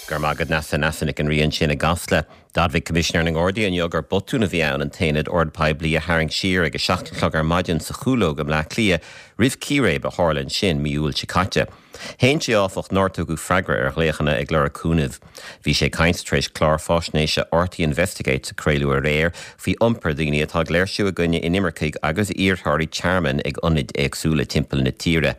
Go raibh maith agat Neasa, Neasa Nic an Rí ansin i gCasla. D'admhaigh Coimisinéir na nGardaí inniu gur botún a bhí ann an t-aonad ord poiblí a tharraingt siar ag a 7 a chlog ar maidin sa Chúlóg i mBleá Cliath roimh círéib a tharla ansin mí Iúil seo caite. Shéan sé, áfach, nár tugadh freagra ar ghlaochanna ag lorg cúnaimh. Bhí sé ag caint tar éis clár faisnéise RTÉ Investigates a craoladh aréir faoi iompar daoine atá ag léirsiú i gcoinne inimircigh agus iarrthóirí tearmainn ag ionaid éagsúla timpeall na tíre.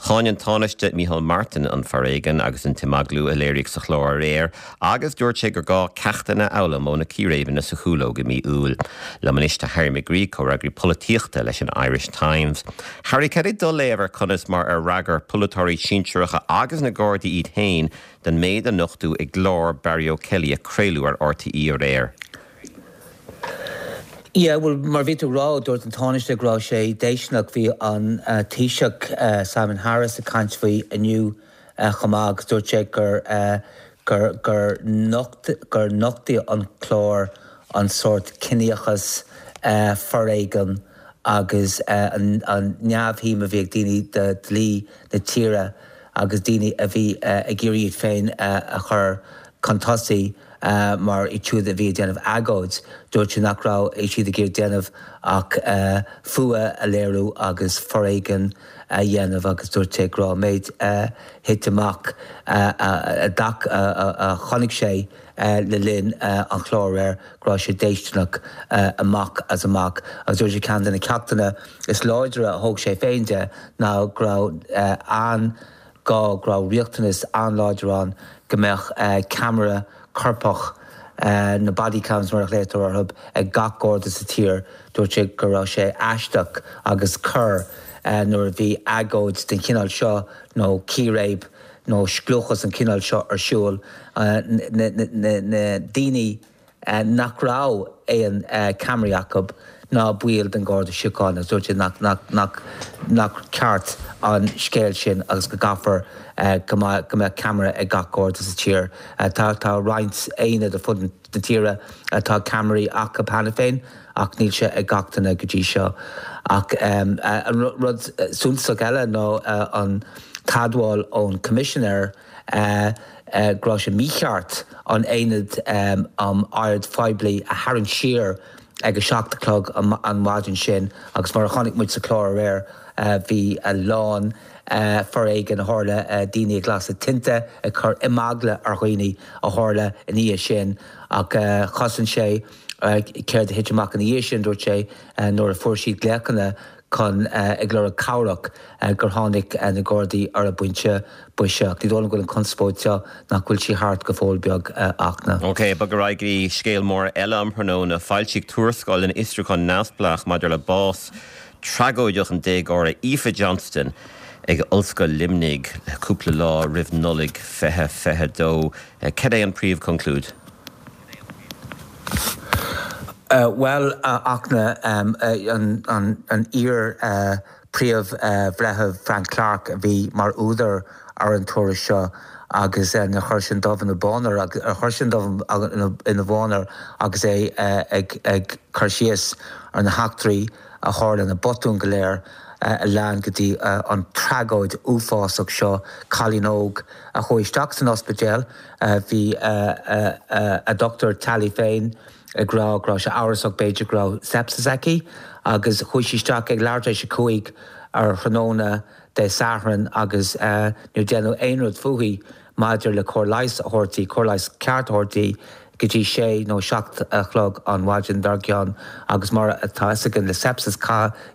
Cháin an Tánaiste Micheál Martin an foréigean agus an t-imeaglú a léiríodh sa chlár aréir agus dúirt sé gur gá ceachtanna a fhoghlaim ó na círéibeanna sa Chúlóg i mí Iúil. Liom anois tá Harry McGree, comhfhreagraí polaitíochta leis an Irish Times. Harry, cad é do léamh ar conas mar ar fhreagair polaiteoirí sinsearacha agus na Gardaí iad féin don méid a nochtadh i gclár Barry O'Kelly a craoladh ar RTÉ aréir? Yeah, bhuel, mar bhí tú ag rá, dúirt an Tánaiste go raibh sé déistineach. Bhí an Taoiseach Simon Harris ag caint faoi inniu chomh maith agus dúirt sé gur gur gur nocht gur nochtaigh an clár an sórt ciníochas, foréigean agus an an neamhshuim a bhí ag daoine do dhlí na tíre agus daoine a bhí ag iarraidh iad féin a chur chun tosaigh mar iad siúd a bhí ag déanamh agóid. Dúirt sé nach raibh siad ag iarraidh déanamh ach fuath a léiriú agus foréigean a dhéanamh agus dúirt sé go raibh an méid a thit amach a a chonaic sé le linn an chláir aréir go raibh sé déistineach amach as amach agus dúirt sé ceann de na ceachtanna is láidre a thóg sé féin de ná go raibh an gá, go raibh riachtanas an-láidir ann go mbeadh ceamara corpach, na body cams mar a ghlaotar orthu, ag gach Garda sa tír. Dúirt sé go raibh sé aisteach agus corr nuair a bhí agóid den chineál seo nó círéib nó scliúchas den chineál seo ar siúl, na daoine nach raibh aon ceamaraí acu ná baill den Gharda Síochána agus dúirt sé nach ceart an scéal sin agus go gcaithfear go mbeadh ceamara ag gach Garda sa tír. Tá roinnt aonad ar fud na tíre atá ceamaraí acu cheana féin ach níl sé ag gach duine go dtí seo. Ach an rud suntasach eile ná an t-admháil ón Coimisinéir go raibh sé mícheart an aonad um oird phoiblí a tharraingt siar ag a 7 a chlog an mhaidin sin agus mar a chonaic muid sa chlár aréir bhí a lán foréigin a tharla, daoine ag lasadh tinte, ag cur imeagla ar dhaoine a tharla ina dhiaidh sin ach chosain sé céard a thit amach ina dhiaidh sin, dúirt sé, nuair a fuair siad glaochanna chun ag lorg cabhrach gur tháinig na Gardaí ar an bpointe boise. Ach ní dóigh liom go bhfuil an chonspóid seo nach bhfuil sí thart go fóill beag a Fhachtna. Ok, bog ar aghaidh go dtí scéal mór eile um thráthnóna. Foilsíodh tuarascáil den fhiosrúchán neamhspleách maidir le bás tragóideach an déagóra Aoife Johnston ag Ollscoil Luimnigh cúpla lá roimh Nollaig 2022. Cad é an príomhchonclúid? Bhuel, a Fhachtna, an iar-Phríomh-Bhreitheamh Frank Clarke a bhí mar údar ar an tuairisc seo agus níor chuir sé an dubh ina bhán air, ar chuir sé an dubh ina bhán air agus é ag cur síos ar na heachtraí a tharla, na botúin go léir a lean go dtí an tragóid uafásach seo, cailín óg a chuaigh isteach san ospidéal. Bhí a dochtúir teaghlaigh féin ag rá go raibh sé amhrasach b'fhéidir go raibh sepsis aici agus chuaigh sí isteach ag leathuair tar éis a 5 ar thráthnóna Dé Sathairn agus níor déanadh aon rud fúithi maidir le cóir leighis a thabhairt di, cóir leighis ceart a thabhairt di go dtí sé nó 7 a chlog an mhaidin dár gcionn agus mar atá fhios againn le sepsis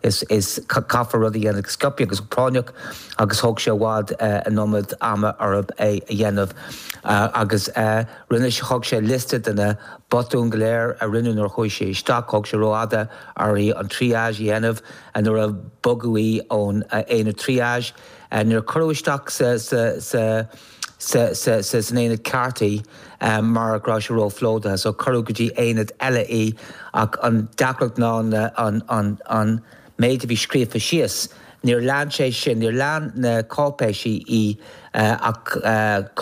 is is caithfear rud a dhéanamh go sciobtha agus go práinneach agus thóg sé i bhfad an iomad ama orthu é a dhéanamh agus rinne sé thug sé liosta de na botúin go léir a rinneadh nuair a chuaigh sí isteach thóg sé rófhada uirthi an triage a dhéanamh nuair a bogadh í ón aonad triage níor cuireadh isteach sa sa sa sa sa sa san aonad ceart í mar go raibh sé róphlódaithe so cuireadh go dtí aonad eile í ach an deacracht ná na an an an méid a bhí scríofa síos níor lean sé sin níor lean na cáipéisí í ach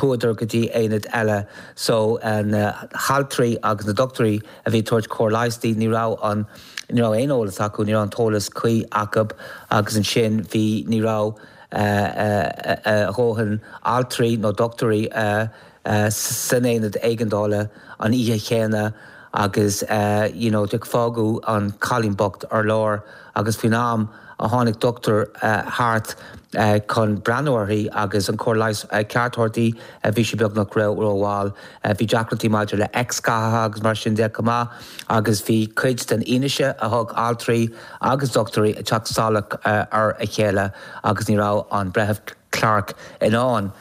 chuadar go dtí aonad eile so na haltraí agus na dochtúirí a bhí ag tabhairt cóir leighis di ní raibh an ní raibh aon eolas acu ní raibh an t-eolas cuí acu agus ansin bhí ní raibh. a dhóthain altraí nó dochtúirí san aonad éigeandála an oíche chéanna agus you know fágadh an cailín bocht ar lár agus faoin am a tháinig dochtúir thart chun breathnú uirthi agus an cóir leighis ceart a thabhairt di, bhí sí beagnach rómhall. Bhí deacrachtaí maidir le X-ghathaithe agus mar sin de chomh maith agus bhí cuid den fhianaise a thug altraí agus dochtúirí ag teacht salach ar a chéile agus ní raibh an Breitheamh Clarke in ann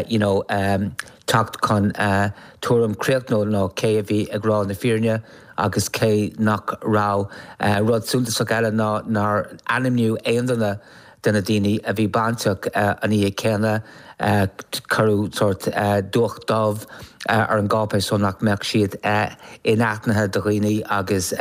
you know teacht chun tuairim críochnúil nó cé a bhí ag rá na fírinne agus cé nach raibh. Rud suntasach eile ná nár ainmníodh aon duine de na daoine a bhí bainteach an oíche chéanna. Cuireadh sórt dúch dubh ar an gcáipéis so nach mbeadh siad inaithnithe do dhaoine agus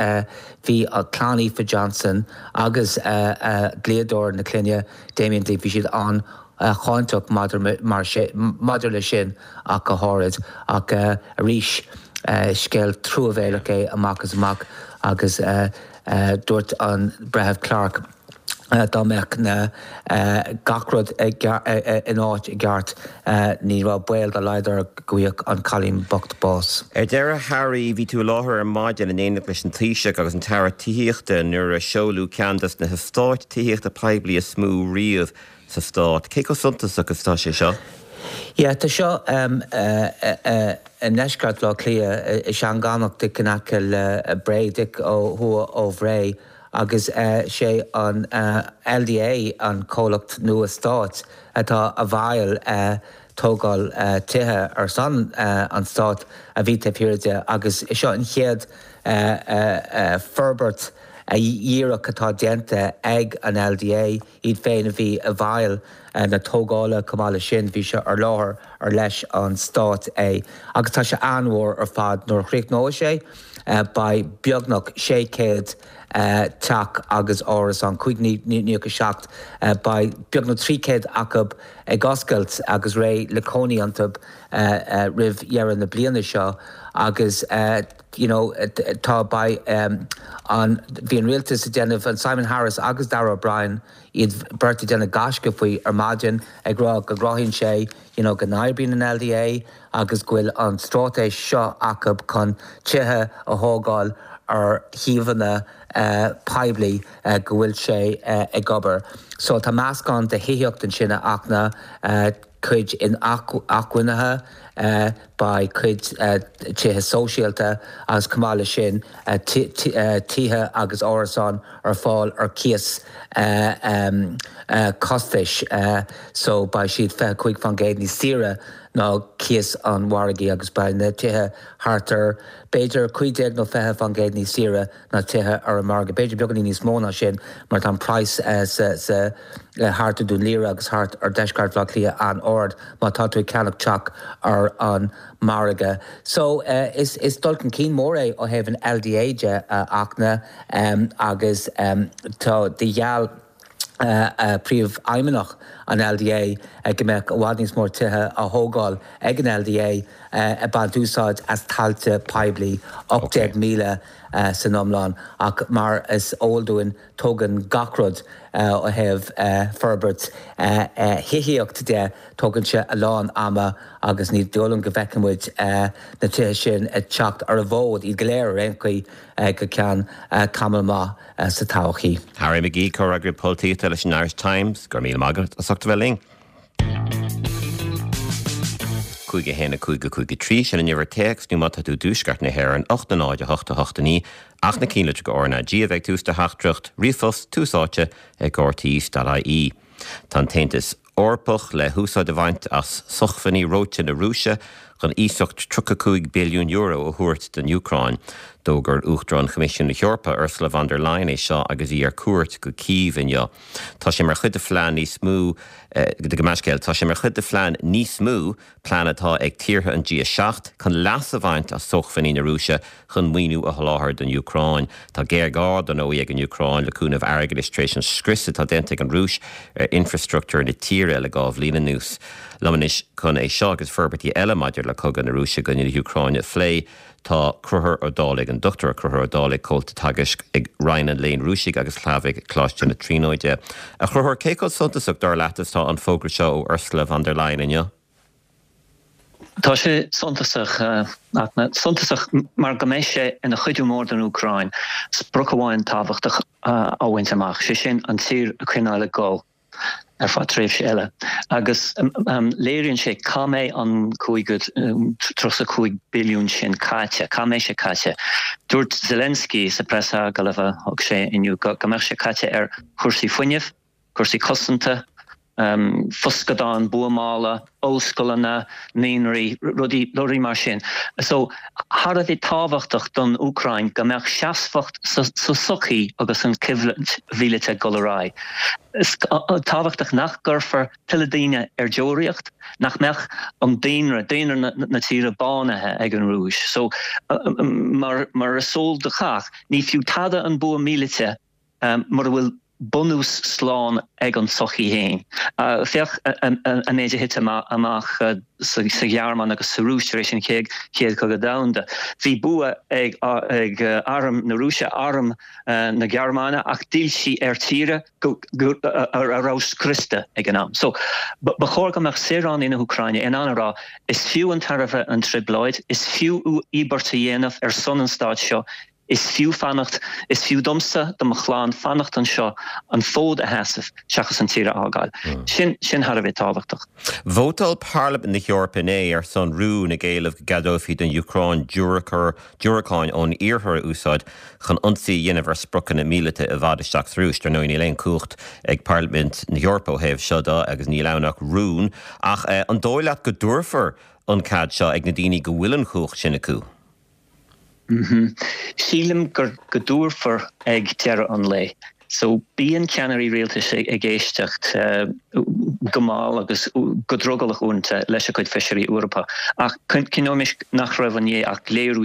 bhí clann Aoife Johnson agus dlíodóir na clainne, Damien Dick, bhí siad an cháinteach maidir leis sin ach go háirid. Ach arís, scéal truamhéalach é amach is amach agus dúirt an Breitheamh Clarke dá mbeadh na gach rud in áit i gceart ní raibh baol dá laghad air go bhfaigheadh an cailín bocht bás. Ar deireadh, Harry, bhí tú i láthair ar maidin in éineacht leis an Taoiseach agus an tAire Tithíochta nuair a seoladh ceann des na heastáit tithíochta poiblí is mó riamh sa stát. Cé chomh suntasach is atá sé seo? Yeah, tá seo i ndeisceart Bhaile Átha Cliath, i Seangánach, díreach in aice le Bré, díreach ó thuaidh ó Bhré, agus sé an LDA an comhlacht nua stáit atá i bhfeighil tógáil tithe ar son an stáit a bhí taobh thiar de agus seo an chéad forbairt dhíreach atá déanta ag an LDA. iad féin a bhí i bhfeighil na tógála chomh maith leis sin bhí sé ar láthair ar leis an stát é agus tá sé an-mhór ar fad. Nuair a chríochnóidh sé beidh beagnach 600 teach agus árasán, 597, beidh beagnach 300 acu ag oscailt agus réidh le cónaí iontu roimh dheireadh na bliana seo agus you know tá beidh an bhí an rialtas ag déanamh an Simon Harris agus Darragh O'Brien iad beirt ag déanamh gaisce faoi ar maidin ag rá go gcruthaíonn sé you know go n-oibríonn an LDA agus go bhfuil an straitéis seo acu chun tithe a thógáil ar shuíomhanna poiblí go bhfuil sé ag obair. So tá meascán de thithíocht ansin a Fhachtna. cuid inacmhainne, beidh cuid tithe sóisialta agus chomh maith leis sin tithe agus árasáin ar fáil ar cíos costais so beidh siad 25% níos saoire ná cíos an mhargaidh agus beidh na tithe thart ar b'fhéidir 15 nó 20% níos saoire ná tithe ar an margadh. B'fhéidir beagáinín níos mó ná sin mar tá an praghas sa thart ar Dún Laoghaire agus thart ar deisceart Bhaile Átha Cliath an-ard má tá tú ag ceannach teach ar an margadh. So is is dul chun cinn mór é ó thaobh an LDA de a Fhachtna agus tá de gheall Príomhfheidhmeannach an LDA go mbeadh i bhfad níos mó tithe á thógáil ag an LDA ag baint úsáid as tailte poiblí, 18,000 san iomlán, ach mar is eol dúinn tógann gach rud ó thaobh forbairt thithíocht de, tógann sé a lán ama agus ní dóigh liom go bhfeicfidh muid na tithe sin ag teacht ar an bhfód, iad go léir ar aon chaoi, go ceann tamall maith. sa todhchaí. Harry McGee, Comhfhreagraí Polaitíochta leis an Irish Times, go raibh míle maith agat as ucht a bheith linn. 5 1 5 5 3, sin an uimhir téacs nó má tá tú i dtuaisceart na hÉireann, 8 0 8 8 9, ach na cinnlitreacha RnaG a bheidh ag tús do theachtaireacht, ríomhphost, tús áite ag rte.ie. Tá an tAontas Eorpach le húsáid a bhaint as sócmhainní reoite na Rúise chun iasacht €35 billiún a thabhairt don Úcráin. D'fhógair Uachtarán Choimisiún na hEorpa, Ursula von der Leyen é seo agus í ar cuairt go Cív inniu. Tá sé mar chuid de phlean níos mó Gabh mo leithscéal, tá sé mar chuid de phlean níos mó plean atá ag tíortha an G7 chun leas a bhaint as sócmhainní na Rúise chun maoiniú a sholáthar don Úcráin. Tá géarghá, dar ndóigh, ag an Úcráin le cúnamh airgeadais tar éis an scrios atá déanta ag an Rúis ar infreastruchtúr na tíre le dhá bhliain anuas. Liom anois chun é seo agus forbairtí eile maidir le cogadh na Rúise i gcoinne na hÚcráine a phlé, tá Conchúr Ó Dálaigh, an Dr Conchúr Ó Dálaigh, Comhalta Teagaisc ag Roinn an Léinn Rúisigh agus Shlavaigh, Coláiste na Tríonóide. A Chonchúir, cé chomh suntasach, dar leat, is atá an fógra seo ó Ursula von der Leyen inniu? Tá sé suntasach, suntasach mar go mbeidh sé ina chuidiú mór don Úcráin sprioc amháin tábhachtach a bhaint amach, sé sin an tír a choinneáil ag dul ar feadh tréimhse eile. Agus léiríonn sé cá mbeidh an 35 billiún sin caite, cá mbeidh sé caite. Dúirt Zelensky sa preasagallamh a thug sé inniu go mbeadh sé caite ar chúrsaí fuinnimh, cúrsaí cosanta, foscadáin buamála, ollscoileanna, naíonraí, rudaí, rudaí mar sin. So, thar a bheith tábhachtach don Úcráin go mbeadh seasmhacht sa tsochaí agus an choimhlint mhíleata ag dul ar aghaidh. Is tábhachtach nach gcuirfear tuilleadh daoine ar deoraíocht, nach mbeadh an daonra, daonra na tíre bánaithe ag an Rúis. So, mar mar is eol do chách, ní fiú tada an bua míleata mura bhfuil bunús slán ag an tsochaí féin. Féach an méid a thit amach sa Ghearmáin agus sa Rúis tar éis an Chéad Chogadh Domhanda. Bhí bua ag arm na Rúise, arm na Gearmáine, ach d'fhill sí ar tír a raibh scriosta ag an am. So, ba chóir go mbeadh saoránaigh na hÚcráine in ann a rá, is fiú an tairbhe an trioblóid, is fiú íobairt a dhéanamh ar son an stáit seo, Is fiú fanacht, is fiú domsa, do mo chlann, fanacht anseo, an fód a sheasamh, seachas an tír a fhágáil. Sin, sin thar a bheith tábhachtach. Vótáil Parlaimint na hEorpa inné ar son rún ag éileamh go gceadófaí don Úcráin diúracáin ón iarthar a úsáid chun ionsaí a dhéanamh ar spriocanna míleata i bhfad isteach sa Rúis. Dar ndóigh níl aon chumhacht ag Parlaimint na hEorpa ó thaobh seo de agus níl ann ach rún. Ach an dóigh leat go dtabharfar an cead seo ag na daoine go bhfuil an chumhacht sin acu? Sílim go dtabharfar ag deireadh an lae. So bíonn ceannairí rialtais ag éisteacht go mall agus go drogallach uaireanta leis a gcuid feisirí Eorpacha. Ach cuimhnímis nach raibh inné ach léiriú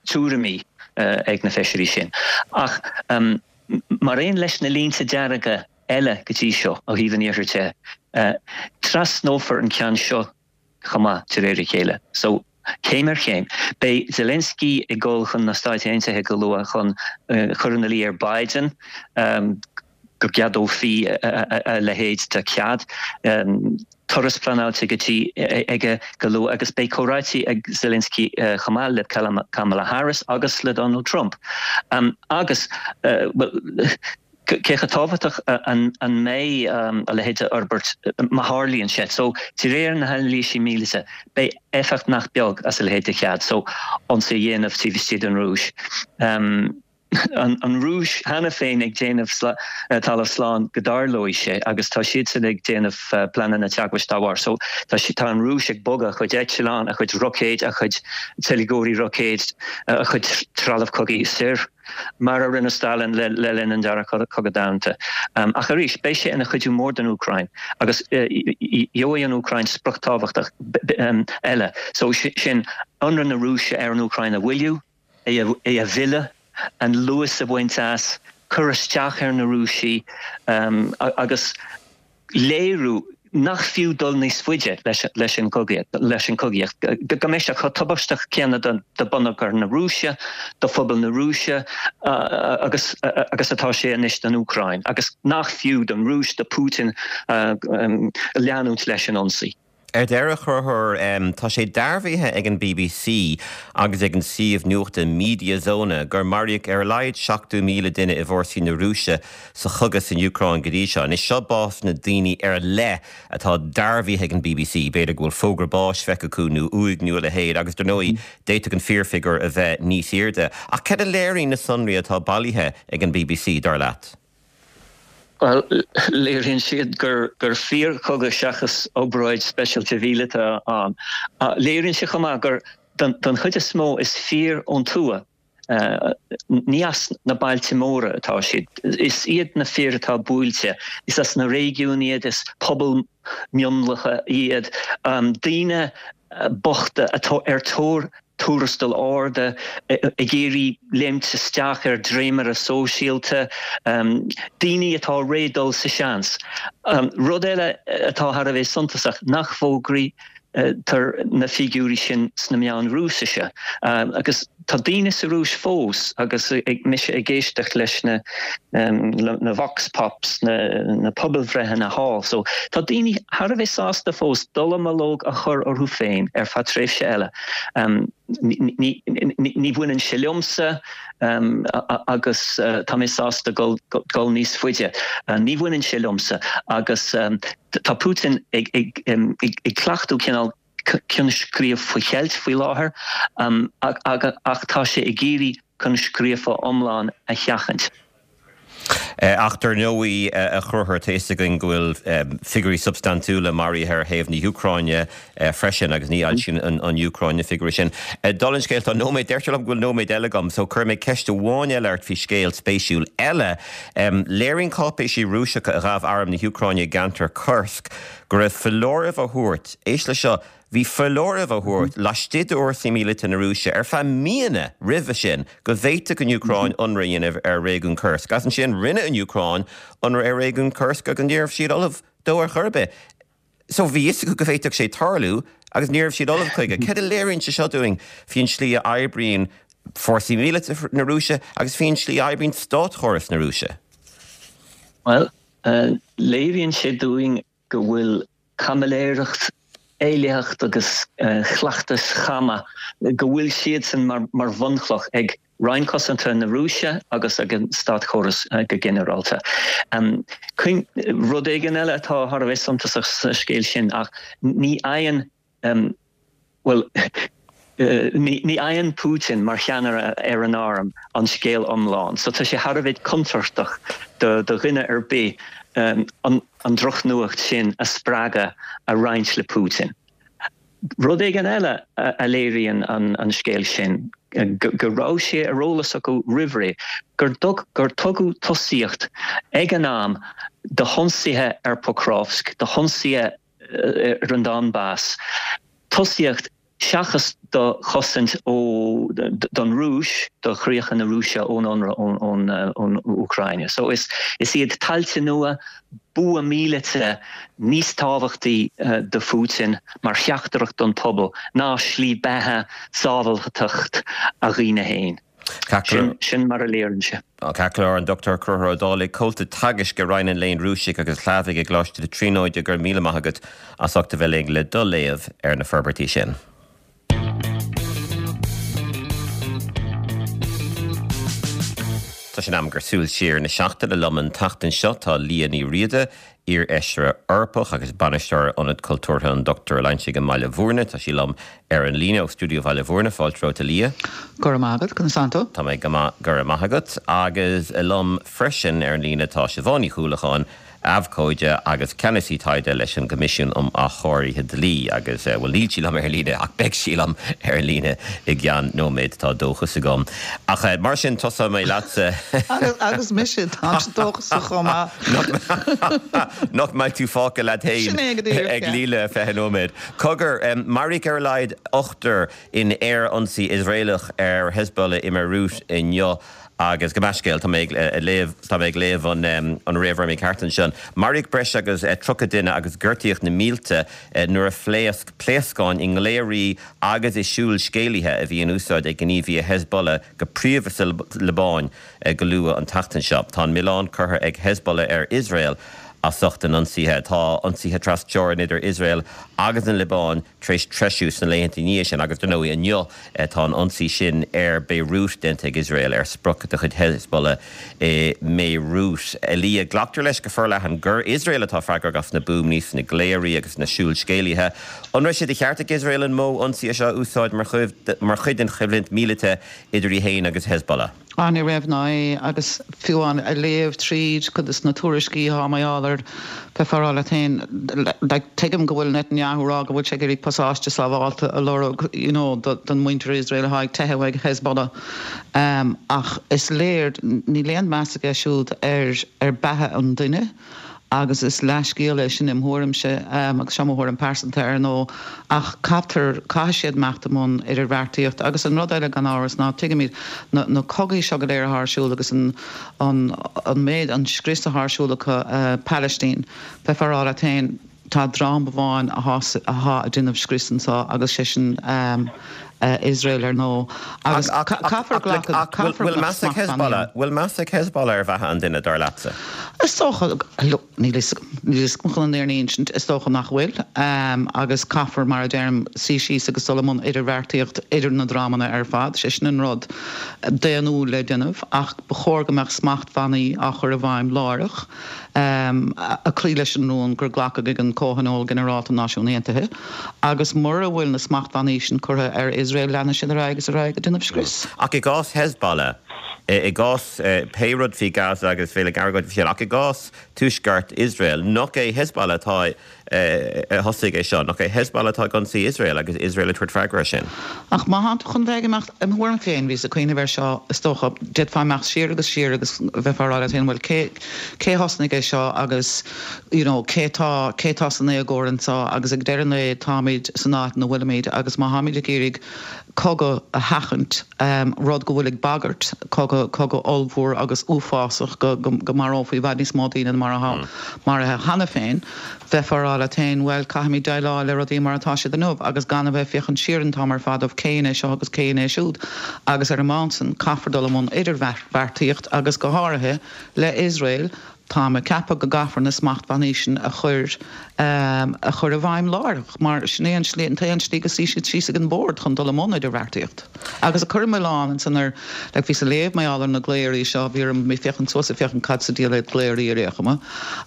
tuairimí ag na feisirí sin. Ach mar aon leis na línte dearga eile go dtí seo ó thaobh an iarthair de, trasnófar an ceann seo chomh maith, de réir a chéile. So, céim ar chéim. Beidh Zelensky ag dul chun na Stáit Aontaithe go luath chun cur ina luí ar Biden go gceadófaí a leithéid de chead. Turas pleanáilte go dtí aige go luath agus beidh comhráití ag Zelensky chomh maith le Kamala Harris agus le Donald Trump. Agus, bhuel, Cé chomh tábhachtach an mbeidh a leithéid de fhorbairt má tharlaíonn sé? So, de réir na hanailísí míleata, beidh éifeacht nach beag as a leithéid de chead. So, ionsaí a dhéanamh taobh istigh den Rúis. An Rúis cheana féin ag déanamh talamh slán go dtarlóidh sé agus tá siadsan ag déanamh pleananna teagmhais dá bharr. So, tá an Rúis ag bogadh a chuid eitleán, a chuid roicéid, a chuid teilgeoirí roicéid, a chuid trealamh cogaidh soir. mar a rinne Stalin le linn an Dara Cogadh Domhanda. Ach arís, beidh sé ina chuidiú mór don Úcráin agus gheobhaidh an Úcráin sprioc tábhachtach eile, so sin ionradh na Rúise ar an Úcráin a mhoilliú, é a mhilleadh, an luas a bhaint as, cur isteach ar na Rúisigh agus. léiriú nach fiú dul níos faide leis an gcogaíocht, go mbeidh sé chomh tubaisteach céanna do bhonneagar na Rúise, do phobal na Rúise agus agus atá sé anois don Úcráin, agus nach fiú don Rúis, do Putin leanúint leis an ionsaí. Ar deireadh, a Chonchúir, tá sé dearbhaithe ag an bbc agus ag an suíomh nuachta Mediazona gur maraíodh ar a laghad 70,000 duine i bhfórsaí na Rúise sa chogadh san Úcráin go dtí seo. Anois, seo básanna daoine ar leith atá dearbhaithe ag an bbc, b'fhéidir go bhfuil fógra báis feicthe acu nó uaigh nó a leithéid agus dar ndóigh d'fhéadfadh an fíorfhigiúr a bheith níos airde. Ach cad a léiríonn na sonraí atá bailithe ag an bbc, dar leat? Bhuel, léiríonn siad gur fíorchogadh seachas obráid speisialta mhíleata ann. Léiríonn sé chomh maith gur, don chuid is mó, is fir ón tuath, ní as na bailte móra atá siad. Is iad na fir atá buailte, is as na réigiúin iad, is pobail mionlacha iad, daoine bochta atá ar tóir. Tuarastail arda, ag iarraidh léimt isteach ar dréimire sóisialta, daoine atá réidh dul sa seans. Rud eile atá thar a bheith suntasach, nach bhfógraítear na figiúirí sin sna meáin Rúisise. Agus tá daoine sa Rúis fós, agus mise ag éisteacht leis na na vox pops, na pobalbhreitheanna thall, so tá daoine thar a bheith sásta fós dallamullóg a chur orthu féin ar feadh tréimhse eile. Ní bhaineann sé liomsa agus tá mé sásta dul níos faide. Ní bhaineann sé liomsa agus tá Putin ag cleachtadh cineál coinscríobh faoi cheilt faoi láthair ach tá sé ag iarraidh coinscríofa iomlán a sheachaint. Ach dar ndóigh, a Chonchúir, tá fhios againn go bhfuil figiúirí substaintiúla maraithe ar thaobh na hÚcráine freisin agus ní fhoilsíonn an Úcráin na figiúirí sin. Dála an scéil, tá nóiméad, deirtear liom go bhfuil nóiméad eile agam, so cuirfidh mé ceist amháin eile ort faoi scéal spéisiúil eile. Léiríonn cáipéisí Rúiseacha a ghabh arm na hÚcráine i gceantar Kursk go raibh foláirimh á thabhairt, éist leis seo, Bhí foláirimh á thabhairt laistigh d'fhórsaí míleata na Rúise ar feadh míonna roimhe sin go bhféadfadh an Úcráin ionradh a dhéanamh ar réigiún Kursk. Agus ansin rinne an Úcráin ionradh ar réigiún Kursk agus ní raibh siad ullamh dó ar chor ar bith. So bhí fhios acu go bhféadfadh sé tarlú agus ní raibh siad ullamh chuige. Céard a léiríonn sé seo dúinn faoin tslí a oibríonn fórsaí míleata na Rúise agus faoin tslí a oibríonn státchóras na Rúise? Bhuel, léiríonn sé dúinn go bhfuil caimiléireacht, éillitheacht agus cleachtais chama, go bhfuil siadsan mar bhunchloch ag Roinn Cosanta na Rúise agus ag an státchóras go ginearálta. Rud éigin eile atá thar a bheith suntasach sa scéal sin ach ní fhaigheann Bhuel, ní fhaigheann Putin mar cheannaire ar an arm an scéal iomlán, so tá sé thar a bheith contúirteach do dhuine ar bith an drochnuacht sin a spreagadh a roinnt le Putin. Rud éigin eile a léiríonn an scéal sin, go raibh sé ar eolas acu roimhré gur tugadh tosaíocht ag an am do hionsaithe ar Pokrovsk, do hionsaithe ar an Donbas, tosaíocht seachas do chosaint ó don Rúis, do chríocha na Rúise ón ionradh ón Úcráine. So is iad tailte nua, bua míleata níos tábhachtaí do Phutin mar theachtaireacht don phobal ná slí beatha, sábháilteacht a dhaoine féin. Sin mar a léiríonn sé. Ceart go leor, an Dr Conchúr Ó Dálaigh, Comhalta Teagaisc i Roinn an Léinn Rúisigh agus Shlavaigh i gColáiste na Tríonóide, go raibh míle maith agat as ucht a bheith linn le do léamh ar na forbairtí sin. Tá sé in am gur súil siar na seachtaine liom an tseachtain seo. Tá Liadh Ní Riada, Iar-Fheisire Eorpach agus Bainisteoir Ionad Cultúrtha an Dr Loingsigh i mBaile Bhúirne. Tá sí liom ar an líne ó stiúideo Bhaile Bhúirne. Fáilte romhat a Liadh. Go raibh maith agat, conas tánn tú? Tá mé go maith, go raibh maith agat. Agus liom freisin ar an líne tá Siobhán Ní Chuallacháin, abhcóide agus ceannasaí taighde leis an gCoimisiún um Athchóirithe Dlí agus, bhuel, níl sí liom ar an líne ach beidh sí liom ar an líne i gceann nóiméad, tá dóchas agam. Ach mar sin, tosóidh mé leatsa. Agus mise, táimse dóchasach chomh maith. Nach mbeidh tú fágtha leat féin ag líle 20 nóiméad. Cogar, maraíodh ar a laghad ochtar in aerionsaí Iosraelach ar Hezbollah i mBeirút inniu agus gabh mo leithscéal, tá mé ag léamh, tá mé ag léamh an réamhrá mícheart ansin. Maraíodh breis agus 30 duine agus gortaíodh na mílte nuair a phléasc pléascáin i nglaoirí agus i siúlscéalaithe a bhí in úsáid ag gníomhaithe Hezbollah go príomha sa Liobáin. Go luath an tseachtain seo, tá an milleán curtha ag Hezbollah ar Iosrael as ucht a n-ionsaithe. Tá ionsaithe tras-teorann idir Iosrael agus an Liobáin tar éis treisiú sna laethanta ina dhiaidh sin agus, dar ndóigh, inniu tá an ionsaí sin ar Beirut déanta ag Iosrael ar sprioc de chuid Hezbollah i mBeirut. A Liadh, glactar leis go forleathan gur Iosrael atá freagrach as na buamaí sna glaoirí agus na siúlscéalaithe. An raibh sé de cheart ag Iosrael an modh ionsaithe seo a úsáid mar chuid den choimhlint mhíleata idir í féin agus Hezbollah. Ah, ní raibh ná é, agus fiú amháin ag léamh tríd cuid de na tuairiscí atá mar gheall air, bheifeá ag rá leat féin, like, tuigim go bhfuil Netanyahu ag rá go bhfuil sé ag iarraidh pasáiste sábhálta a lorg, you know, don muintir Iosrael atá ag teitheadh uaidh Hezbollah, ach is léir, níl aon meas aige siúd ar, ar beatha an duine. Agus is leathscéal é sin im thuairimse, agus seo mo thuairim pearsanta ar ndóigh, ach caithfear, caithfidh siad imeacht i mbun idirbheartaíocht. Agus an rud eile gan amhras ná, tuigimid, na na cogaí seo go léir atá ar siúl agus an an an méid, an scrios atá ar siúl acu Palaistín, bheifeá a rá leat féin, Tá dream amháin athá ag déanamh scrios anso agus sé sin Iosrael ar ndóigh. Agus caithfear glacadh, caithfear go mbeadh smachtbhannaí ann. Bhfuil meas ag Hezbollah ar bheatha an duine, dar leatsa? Is dócha, look, níl fhios agam, níl fhios agam chun an fhírinne a insint, is dócha nach bhfuil. Agus caithfear, mar a deirim, suí síos agus dul i mbun idirbheartaíocht idir na dreamanna ar fad, sé sin an rud daonnúil le déanamh. Ach ba chóir go mbeadh smachtbhannaí á chur i bhfeidhm láithreach. ag cloí leis an rún gur glacadh ag an Comhthionól Ginearálta Náisiún Aontaithe, agus mura bhfuil na smachtbhannaí sin curtha ar Iosrael leanfaidh siad ar aghaidh agus ar aghaidh ag déanamh scrios. Ach i gcás Hezbollah, i gcás pé rud faoi Gaza agus bheinn ag argóint faoi sin, ach i gcás tuaisceart Iosrael, nach é Hezbollah atá a thosaigh é seo, nach é Hezbollah atá ag ionsaí Iosrael agus Iosrael ag tabhairt freagra air sin. Ach má thánn tú chun bheith ag imeacht, im thuairim féin, bhíos ag cuimhneamh air seo, is dócha, d'fhéadfá imeacht siar agus siar agus bheifeá ag rá leat féin, bhuel, cé, cé a thosnaigh é seo agus, you know, cé tá, cé tá san éagóir anseo agus ag deireadh an lae táimid san áit ina bhfuilimid agus má tháimid ag iarraidh cogadh a sheachaint, rud go bhfuil ag bagairt, cogadh, cogadh ollmhór agus uafásach go, go, go marófaí i bhfad níos mó daoine ná mar atá maraithe cheana féin, bheifeá ag rá leat féin, bhuel, caithfimid déileáil le rudaí mar atá siad inniu agus gan a bheith ag féachaint siar an t-am ar fad of cé dhein é seo agus cé dhein é siúd agus ar an mbonn san caithfear dul i mbun idirbheartaíocht agus go háirithe le Iosrael Táim ag ceapadh go gcaithfear na smachtbhannaí sin a chur a chur i bhfeidhm láithreach mar sin é an slí, an t-aon slí go suí siad síos ag an bord chun dul i mbun idirbheartaíocht. Agus ag cur an milleán ansan ar, like bhíos ag léamh mar gheall ar na glaoirí seo, bhí orm mé féachaint suas ag féachaint cad sa diabhal iad glaoirí ar aon chuma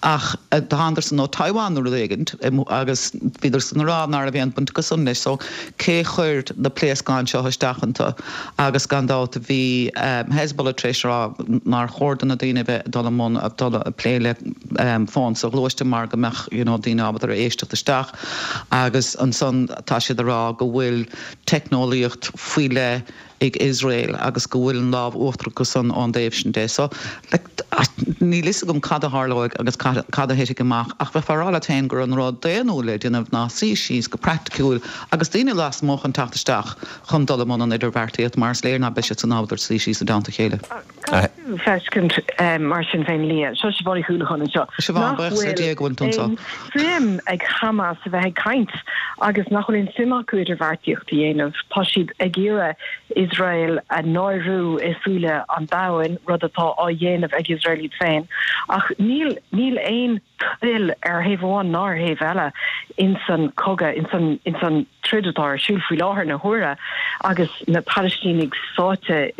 ach thánadar san ó Taiwan nó rud éigint agus bhíodar san ag rá ná raibh aon bhaint acu san leis so cé chuir na pléascáin seo isteach iontu agus gan dabht bhí Hezbollah tar éis a rá nár chóir do na daoine a bheith ag dul i mbun dul ag plé le fón soghluaiste mar go mbeadh you know daoine ábalta ar éisteacht isteach agus ansan tá siad ag rá go bhfuil teicneolaíocht faoi leith ag Iosrael agus go bhfuil an lámh uachtarach acu san ón dtaobh sin de. So, like, níl fhios agam cad a tharlóidh agus cad a thitfidh amach ach bheifeá ag rá leat féin gur an rud daonnúil le déanamh ná suí síos go praiticiúil agus daoine lasmuigh chun teacht isteach chun dul i mbun an idirbheartaíocht mar is léir ná beidh siad san ábalta suí síos i dteannta a chéile. Caithfidh tú feiscint mar sin féin Liadh, seo Siobhán Ní Shúilleabháin anseo, Siobhán, nach buíochas le bhfuil Dia go bhfuil tú anseo. aon suim ag Hamas a bheith ag caint agus nach bhfuil aon suim acu idirbheartaíocht a dhéanamh. Tá siad ag iarraidh Iosrael a náiriú i súile an domhain, rud atá á dhéanamh ag Iosrael iad féin. Ach níl, níl aon toil ar thaobh amháin ná ar thaobh eile insan cogadh, insan, insan troid atá ar siúl faoi láthair na huaire agus na Palaistínigh sáite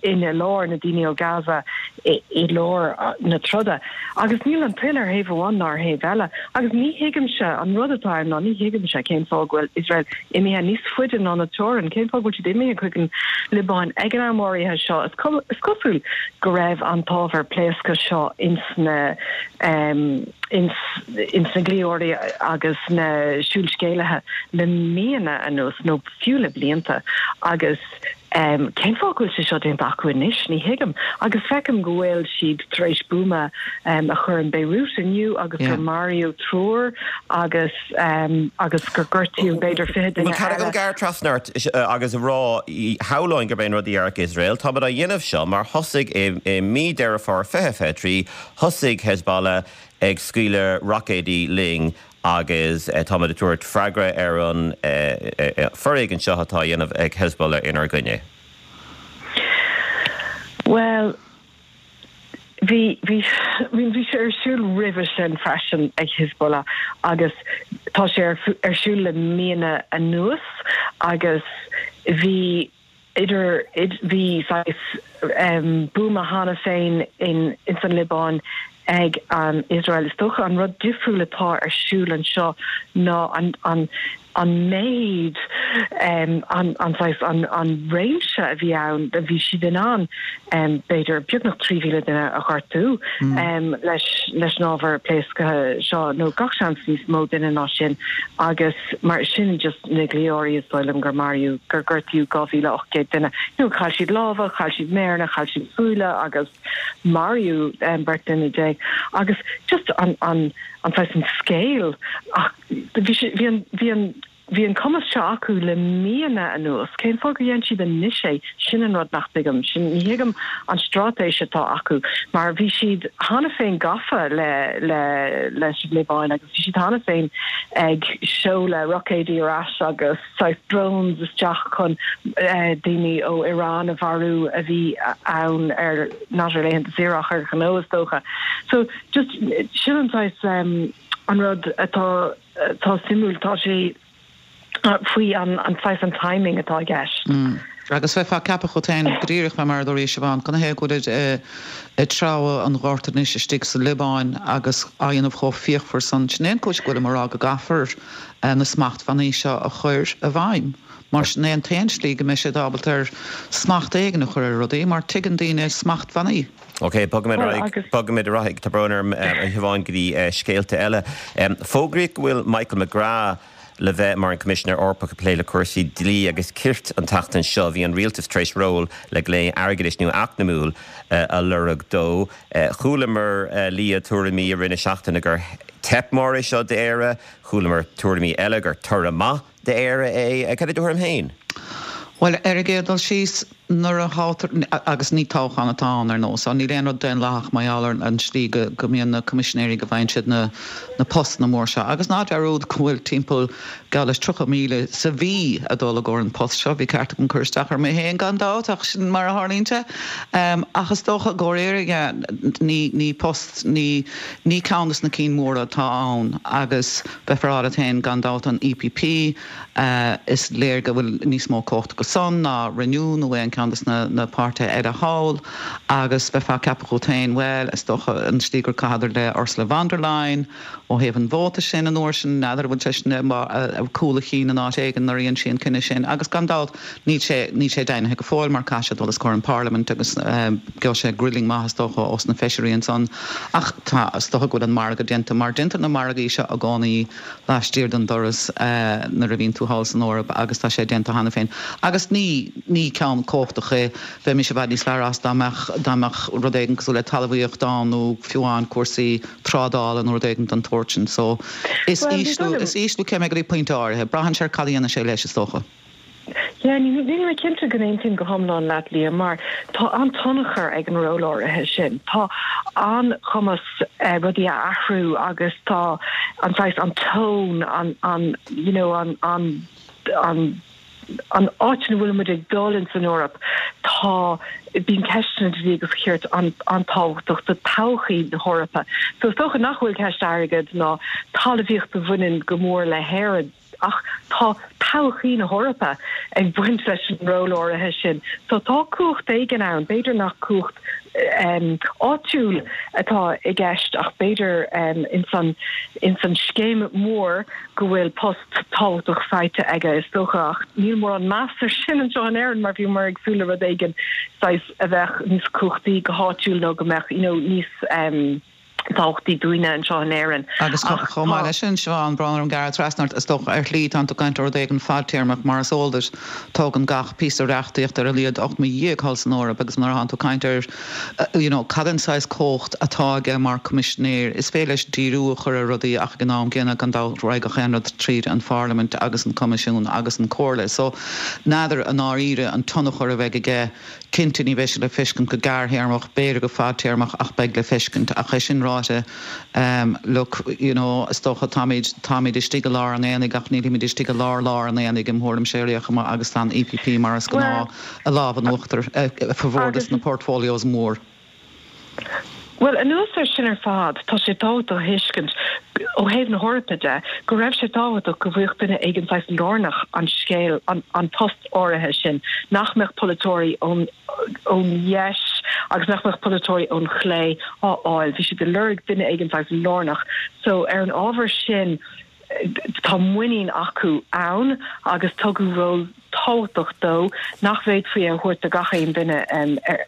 ina lár, na daoine ó Gaza i lár na troda. Agus níl an toil ar thaobh amháin ná ar thaobh eile. Agus ní thuigimse, an rud atá ann ná ní thuigimse cén fáth go bhfuil Iosrael imithe níos faide ná na teorann, cén fáth go bhfuil siad imithe chuig an Liobáin ag an am áirithe seo. Is cosúil go raibh an t-ábhar pléasctha seo ins na ins na glaoirí agus na siúlscéalaithe le míonna anuas, nó fiú le blianta, agus cén fáth go bhfuil sé seo déanta acu anois, ní thuigim. Agus feicim go bhfuil siad tar éis buama a chur in Beirut inniu agus gur maraíodh triúr agus agus gur gortaíodh b'fhéidir 20 duine Bhuel, caithfidh agam eile. gearradh trasna ort agus a rá, shamhlóinn gurb é an rud a déarfadh Iosrael, táimid á dhéanamh seo mar thosaigh i mí Deireadh Fómhair 2023, thosaigh Hezbollah ag scaoileadh roicéidí linn agus táimid ag tabhairt freagra ar an foréigean seo atá á dhéanamh ag Hezbollah inár gcoinne. Bhuel, bhí, bhí, bhí sé ar siúl roimhe sin freisin ag Hezbollah agus tá sé ar, ar siúl le míonna anuas agus bhí, idir, bhí saghas buama cheana féin in ins an Liobáin ag an Iosrael. Is dócha an rud difriúil atá ar siúl anseo ná an, an. An méid, an saghas, an réimse a bhí ann, bhí siad in ann b'fhéidir beagnach 3,000 duine a ghortú leis leis an ábhar pléasctha seo, nó gach seans níos mó duine ná sin agus mar sin just na gliáirí is dóigh liom gur maraíodh, gur gortaíodh 2,800 duine. You know, chaill siad lámha, chaill siad méireanna, chaill siad súile agus maraíodh beirt duine déag agus just an an an saghas an scale ach Bhí sé, bhí an, bhí an, bhí an cumas seo acu le míonna anuas. Cén fáth gur dhein siad anois é? Sin an rud nach dtuigim. Sin, ní thuigim an straitéis atá acu mar bhí siad cheana féin gafa le, le, leis an Liobáin agus bhí siad cheana féin ag seoladh roicéidí ar ais agus saghas drones isteach chun daoine ó Iran a mharú a bhí ann ar, not ar laethanta saoire ach ar ghnó is dócha. So just, sin an saghas. An rud atá atá suimiúil, tá sé faoi an an saghas an timing atá i gceist. Agus bheifeá ag ceapadh dhuit féin go díreach fé mar a dúirt Siobhán, canathaobh go bhfuilid ag treabhadh an ghorta anois istigh sa Liobáin agus á dhéanamh chomh fíochmhar san. Sin é an cúis go bhfuilim ag rá go gcaithfear na smachtbhannaí seo a chur i bhfeidhm. Mar sin é an t-aon slí go mbeidh siad ábalta ar smacht éigin a chur ar rudaí mar tuigeann daoine smachtbhannaí. Ok, bogfaimid ar aghaidh, bogfaimid ar aghaidh, tá brón orm, a Shiobhán, go dtí scéalta eile. Fógraíodh go bhfuil Michael McGrath le bheith mar an Coimisinéir Eorpach ag plé le cúrsaí dlí agus cirt an tseachtain seo. Bhí an rialtas tar éis ról le glao airgeadais nó eacnamúil a lorg dó. Chualamar, Liadh, tuairimí i rith na seachtaine gur teip mór é seo d'Éire. Chualamar tuairimí eile gur toradh maith d'Éire é. Cad é do thuairim féin? Bhuel, ar an gcéad dul síos, nuair a thoghtar, agus ní toghchán atá ann ar ndóigh, so níl aon rud daonlathach mar gheall ar an slí go mbíonn na coimisinéirí, go bhfaigheann siad na postanna mór seo. Agus ná dearúd go bhfuil timpeall geall leis 30,000 sa mhí ag dul i gcomhair an post seo. Bhí ceart agam cur isteach air mé féin gan dabht, ach sin mar a tharlaíonn sé. Ach is dócha i gcomhair Éire, yeah, ní, ní post, ní, ní ceann des na cinn mhóra atá ann agus, Bheifeá ag rá leat féin, gan dabht, an EPP, is léir go bhfuil níos mó cumhacht acu san ná Renew nó aon cheann des na páirtithe eile thall, agus bheifeá ag ceapadh dhuit féin, bhuel, is dócha an tslí gur chaitheadar le Ursula von der Leyen ó thaobh an vóta sin an uair sin, n'fheadar an bhfuil sé sin i gcúl a chinn in áit éigin nuair a dhein sí an cinneadh sin, agus gan dabht, Níl sé, níl sé deimhnithe go fóill mar caithfidh sé dul os comhair an Parliament agus gheobhaidh sé grilling maith is dócha ós na feisirí ansan. Ach tá, is dócha go bhfuil an margadh déanta mar déantar na margaí seo i gcónaí laistiar den doras nuair a bhíonn tú thall san Eoraip agus tá sé déanta cheana féin. Agus ní, ní ceann cumhachtach é. Bheimis i bhfad níos fearr as dá mbeadh, dá mbeadh rud éigin cosúil le talmhaíocht ann nó fiú amháin cúrsaí trádála nó rud éigin den tsórt sin. So is ísliú, is ísliú céime é go dtí pointe áirithe. Braitheann sé ar cad a dhéanann sé leis is dócha. Yeah, níl mé cinnte go n-aontaím go hiomlán leat, Liam, mar tá an-tionchar ag an ról áirithe sin. Tá an-chumas rudaí a athrú agus tá an saghas, an tone, an, an, you know, an, an, an, an áit ina bhfuil muid ag dul in san Eoraip, tá, bíonn ceisteanna dlí agus cirt an-tábhachtach do todhchaí na hEorpa. So is dócha nach bhfuil ceist airgid ná talmhaíocht a bhaineann go mór le hÉirinn, Ach tá todhchaí na hEorpa ag baint leis an ról áirithe sin. So tá cumhacht éigin ann, b'fhéidir nach cumhacht áitiúil atá i gceist ach b'fhéidir ins an ins an scéim mhór go bhfuil post tábhachtach faighte aige is dócha ach níl mórán meas ar sin anseo in Éirinn mar bhíomar ag súil le rud éigin saghas a bheadh níos cumhachtaí go háitiúil nó go mbeadh you know níos tábhachtaí dúinne anseo in Éirinn. Agus chomh maith leis sin, Siobhán, brón orm gearradh trasna ort, is dócha, ar shlí, tánn tú ag caint ar rud éigin fadtéarmach, mar is eol duit, tógann gach píosa reachtaíochta ar a laghad 8 mí thall san Eoraip agus nuair atánn tú ag caint ar, you know, cad é an saghas cumhacht atá aige mar Coimisinéir, is féidir leis díriú a chur ar rudaí ach ag an am gcéanna, gan dabht, raghaidh gach aon rud tríd an Pharlaimint agus an Coimisiún agus an Comhairle. So, n'fheadar i ndáiríre an tionchar a bheidh aige. Cinnte, ní bheidh sé le feiscint go gearrthéarmach, b'fhéidir go fadtéarmach ach beidh le feiscint. Ach é sin ráite, look, you know, is dócha táimid, táimid istigh i lár an aonaigh ach nílimid istigh i lár lár an aonaigh im thuairimse ar aon chuma agus tá an EPP mar is gnáth i lámh in uachtar ag formhór des na portfolios mór. Bhuel, anuas air sin ar fad, tá sé tábhachtach a thuiscint, ó thaobh na hEorpa de, go raibh sé tábhachtach go bhfaigheadh duine éigin saghas lárnach an scéal, an post áirithe sin, nach mbeadh polaiteoirí ón ón dheis agus nach mbeadh polaiteoirí ón chlé á fháil. Bhí siad ag lorg duine éigin saghas lárnach. So, ar an ábhar sin. Tá muinín acu ann agus tugadh ról tábhachtach dó nach bhféadfaí a thabhairt do gach aon duine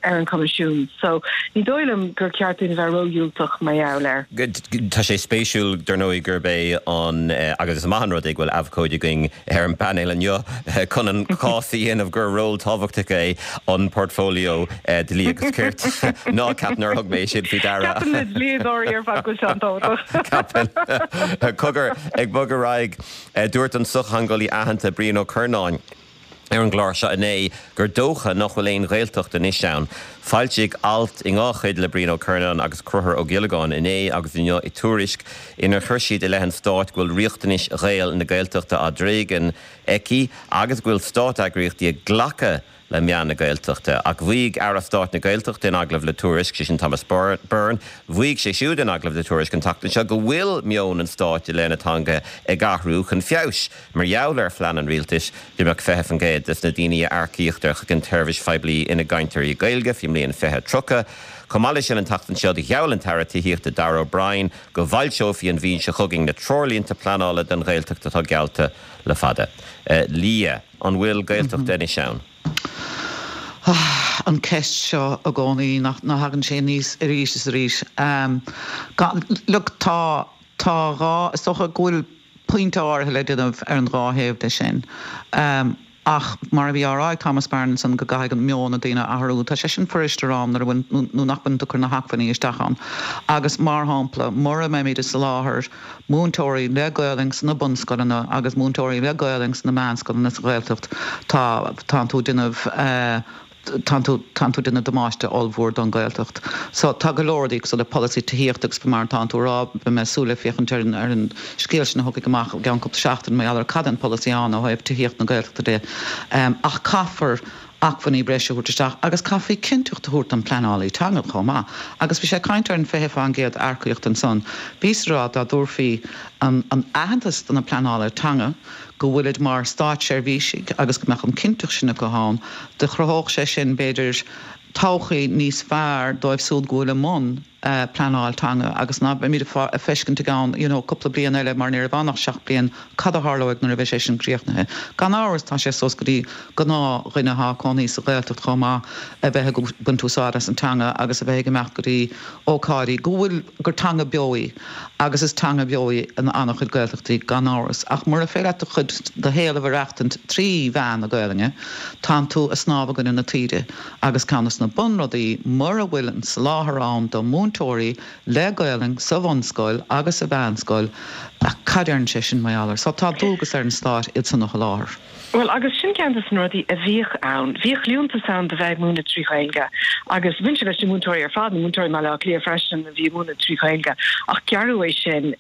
ar an Choimisiún. So, ní dóigh liom gur ceart dúinn a bheith ródhiúltach mar gheall air. Tá sé spéisiúil, dar ndóigh, gurb é an, agus is maith an rud é go bhfuil abhcóide againn ar an bpainéal inniu chun an cás a dhéanamh gur ról tábhachtach é an portfolio Dlí agus Cirt. Ná ceap nár thug mé sin faoi deara. Ceapann na dlíodóirí ar fad go bhfuil sé an-tábhachtach. Ceapann. Cogar, ag bogadh ar aghaidh, dúirt an sochtheangeolaí aitheanta Brian Ó Curnáin ar an gclár seo inné gur dócha nach bhfuil aon Ghaeltacht anois ann. Foilsíodh alt i ndhá chuid le Brian Ó Curnáin agus Conchúr Ó Giollagáin inné agus inniu i Tuairisc inar chuir siad i leith an stáit go bhfuil riachtanais Ghaeil na Gaeltachta á dtréigean aici agus go bhfuil státeagraíochtaí ag glacadh le meath na Gaeltachta. Ach mhaígh Aire Stáit na Gaeltachta in agallamh le Tuairisc, sé sin Thomas Byrne, mhaígh sé siúd in agallamh le Tuairisc an tseachtain seo go bhfuil meon an stáit i leith na teanga ag athrú chun feabhais mar gheall ar phlean an rialtais go mbeadh 20% des na daoine a earcaítear chuig an tseirbhís phoiblí ina gcainteoirí Gaeilge faoin mbliain 2030. Chomh maith leis sin an tseachtain seo gheall an tAire Tithíochta Darragh O'Brien go bhfoilseofaí an mhí seo chugainn na treoirlínte pleanála don Ghaeltacht atá geallta le fada. Liadh. An bhfuil Gaeltacht anois ann? An ceist seo i gcónaí, nach thagann sé aníos arís is arís. Look, tá, tá dhá, is dócha go bhfuil pointe áirithe le déanamh ar an dhá thaobh de sin. Ach mar a bhí á rá ag Thomas Byrne ansan go gcaithfidh an meon na daoine a athrú, tá sé sin fuirist a rá nuair a bhfuil, nó nach bhfuil tú ag cur na hacmhainní isteach ann. Agus mar shampla, mura mbeimid ag soláthar múinteoirí le Gaolainn sna bunscoileanna agus múinteoirí le Gaolainn sna meánscoileanna sa Ghaeltacht, tá, tánn tú ag déanamh, tánn tú, tánn tú ag déanamh damáiste ollmhór don Ghaeltacht. So, tá go leor rudaí cosúil le polasaí tithíochta agus mar atánn tú a rá, beidh mé ag súil le féachaint ar an, ar an scéal sin a thiocfaidh amach i gceann cúpla seachtain mar gheall ar cad é an polasaí ann ó thaobh tithíocht na Gaeltachta de. Ach caithfear acmhainní breise a thabhairt isteach agus caithfí cinnteacht a thabhairt don pleanálaí teanga chomh maith. Agus bhí sé ag caint ar an 20% earcaíocht ansan. Bhíos ag rá dá dtabharfaí an an aitheantas do na pleanálaithe teanga go bhfuilid mar státseirbhísigh agus go mbeadh an cinnteacht sin acu ann, do chruthódh sé sin b'fhéidir todhchaí níos fearr dóibh siúd go bhfuil i mbun pleanáil teanga agus ná beimid ag feiscint i gceann you know cúpla bliain eile mar ní raibh ann ach 7 bliain cad a tharlóidh nuair a bheidh sé sin críochnaithe. Gan amhras tá sé suas go dtí gnáth dhuine atá ag cónaí sa Ghaeltacht chomh maith a bheith ag baint úsáid as an teanga agus a bheith ag imeacht go dtí ócáidí go bhfuil gur teanga beo í agus is teanga bheo í in an-chuid Gaeltachtaí gan amhras ach mura féidir leat do chuid do shaol a mhaireachtaint trí mheán na Gaelainne tánn tú ag snámh i gcoinne na taoide. Agus ceann des na bunrudaí, mura bhfuil an soláthar ann do mhúinteoirí le Gaolainn sa bhunscoil agus sa mheánscoil, cad a deireann sé sin mar gheall air? So tá dualgas ar an Stát iad san a sholáthar. Bhuel, agus sin ceann des na rudaí a bhíodh ann. Bhíodh liúntas ann do bheith ag múineadh trí Ghaeilge agus bhain sé leis na múinteoirí ar fad, na múinteoirí i mBaile Átha Cliath freisin a bhí ag múineadh trí Ghaeilge, ach gearradh é sin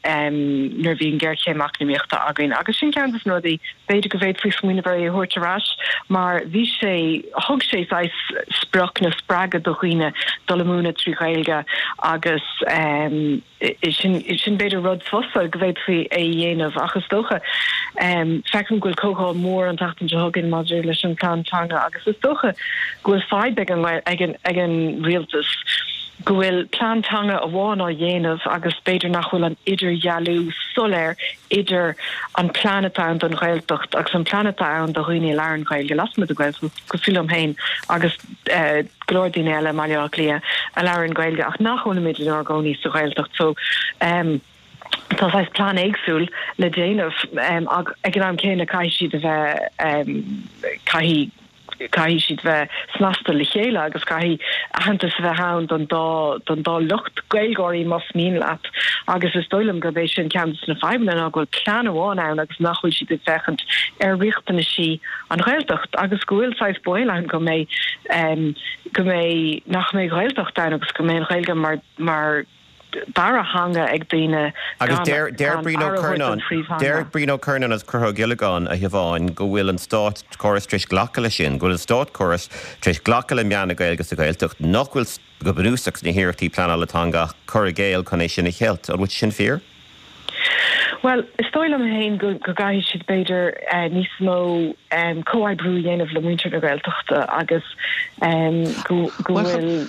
nuair a bhí an ghéarchéim eacnamaíochta againn agus sin ceann des na rudaí B'fhéidir go bhféadfaí smaoineamh ar é a thabhairt ar ais mar bhí sé, thug sé saghas sprioc nó spreagadh do dhaoine dul ag múineadh trí Ghaeilge agus sin, sin b'fhéidir rud fusa go bhféadfaí é a dhéanamh ach is dócha, feicim go bhfuil comhdháil mhór an tseachtain seo chugainn maidir leis an bplean teanga agus is dócha go bhfuil fadhb ag an, ag an, ag an rialtas go bhfuil plean teanga amháin á dhéanamh agus b'fhéidir nach bhfuil an idirdhealú soiléir idir an plean atá ann don Ghaeltacht agus an plean atá ann do dhaoine a labhrann Gaeilge lasmuigh den Ghaeltacht, cosúil liom féin agus go leor daoine eile i mBaile Átha Cliath a labhrann Gaeilge ach nach bhfuilimid inár gcónaí sa Ghaeltacht. So tá saghas plean éagsúil le déanamh ach ag an am céanna caithfidh siad a bheith, caithfidh. caithfidh siad bheith snasta le chéile agus caithfidh aitheantas a bheith ann don dá don dá lucht Gaeilgeoirí más mian leat agus is dóigh liom gurb é sin ceann de na fadhbanna ná go bhfuil plean amháin ann agus nach bhfuil siad ag féachaint ar riachtanaisí an Ghaeltacht agus go bhfuil saghas baol ann go mbeidh go mbeidh nach mbeidh Gaeltacht ann agus go mbeidh an Ghaeilge mar mar dara theanga ag daoine Agus gan deir deir Brian Ó aire a thabhairt don Curnáin, phríomhtheanga. deir Brian Ó Curnáin agus Conchúr Ó Giollagáin, a Shiobháin, go bhfuil an státchóras tar éis glacadh leis sin, go bhfuil an státchóras tar éis glacadh le meath na Gaeilge sa Ghaeltacht, nach bhfuil go bunúsach sna hiarrachtaí pleanála teanga ach cur i gcéill chun é sin a cheilt. An bhfuil sé sin fíor? Bhuel, is dóigh liom féin go gcaithfidh siad b'fhéidir níos mó comhoibriú a dhéanamh le muintir na Gaeltachta agus go bhfuil.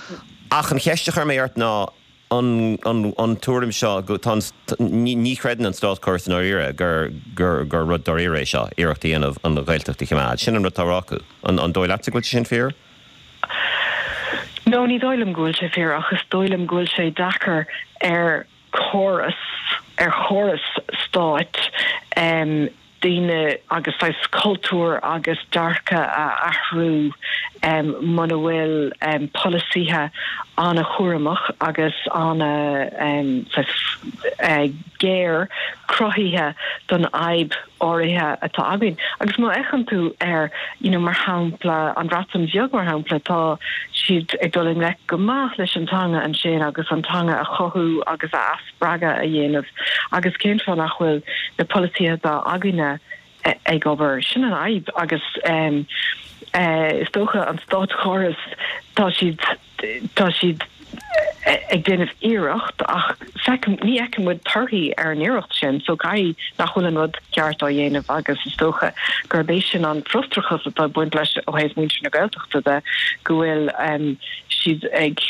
Ach an cheist a chuir mé ort ná. an an tuairim seo go tá an ní chreideann an státchóras i ndáiríre gur gur gur rud dáiríre é seo, iarracht a dhéanamh an Ghaeltacht a choimeád. Sin an rud atá á rá acu. An an dóigh leatsa go bhfuil sé sin fíor? No, ní dóigh liom go bhfuil sé fíor ach is dóigh liom go bhfuil sé deacair ar chóras, ar chóras stáit daoine agus saghas cultúr agus dearcadh a athrú muna bhfuil polasaithe an-chúramach agus ana saghas géar cruthaithe don fhadhb áirithe atá againn. Agus má fhéachann tú ar, you know, mar shampla, an Bhreatain Bheag mar shampla, tá siad ag dul i ngleic go maith leis an teanga ansin agus an teanga a chothú agus a athspreagadh a dhéanamh agus cén fáth nach bhfuil na polasaithe atá againne ag obair? Sin an fhadhb agus is dócha an státchóras, tá siad, tá siad ag déanamh iarracht ach feicim, ní fheiceann muid torthaí ar an iarracht sin so caithfidh nach bhfuil an rud ceart á dhéanamh agus is dócha gurb é sin an frustrachas atá ag baint leis ó thaobh muintir na Gaeltachta de go bhfuil siad ag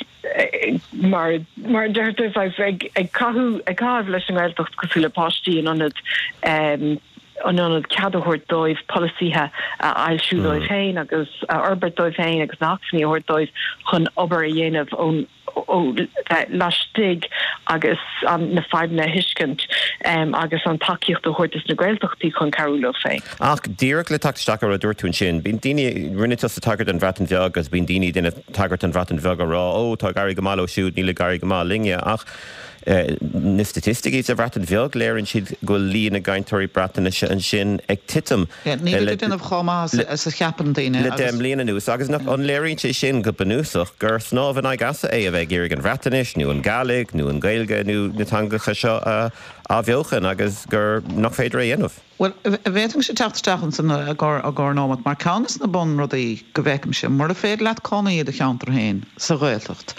mar mar a deirtear saghas ag ag caitheamh ag caitheamh leis an nGaeltacht cosúil le páistí in ionad in ionad cead a thabhairt dóibh polasaithe a fhoilsiú dóibh féin agus a fhorbairt dóibh féin agus na hacmhainní a thabhairt dóibh chun obair a dhéanamh ón ó bheith laistigh agus an na fadhbanna a thuiscint agus an tacaíocht a thabhairt dos na Gaeltachtaí chun cabhrú leo féin. Ach díreach le teacht isteach ar rud a dúirt tú ansin, bíonn daoine, rinne tusa tagairt don Bhreatain Bheag agus bíonn daoine ag déanamh tagairt don Bhreatain Bheag ag rá, ó tá ag éirí go maith leo siúd, níl ag éirí go maith linne. Ach Na staitisticí sa Bhreatain Bheag, léiríonn siad go bhfuil líon na gcainteoirí Breatnaise ansin ag titim Níl ag déanamh chomh maith is a cheapann daoine le 10 mbliana anuas agus nach an léiríonn sé sin go bunúsach gur snámh in aghaidh easa é a bheith ag iarraidh an Bhreatnais nó an Ghàidhlig nó an Ghaeilge nó na teangacha seo a athbheochan agus gur nach féidir é a dhéanamh? Bhuel, bhféadfainnse teacht isteach ansan i gcomhair nóimeat, mar ceann de na bunrudaí go bhfeicimse, mura féidir leat cónaí i do cheantar féin, sa Ghaeltacht,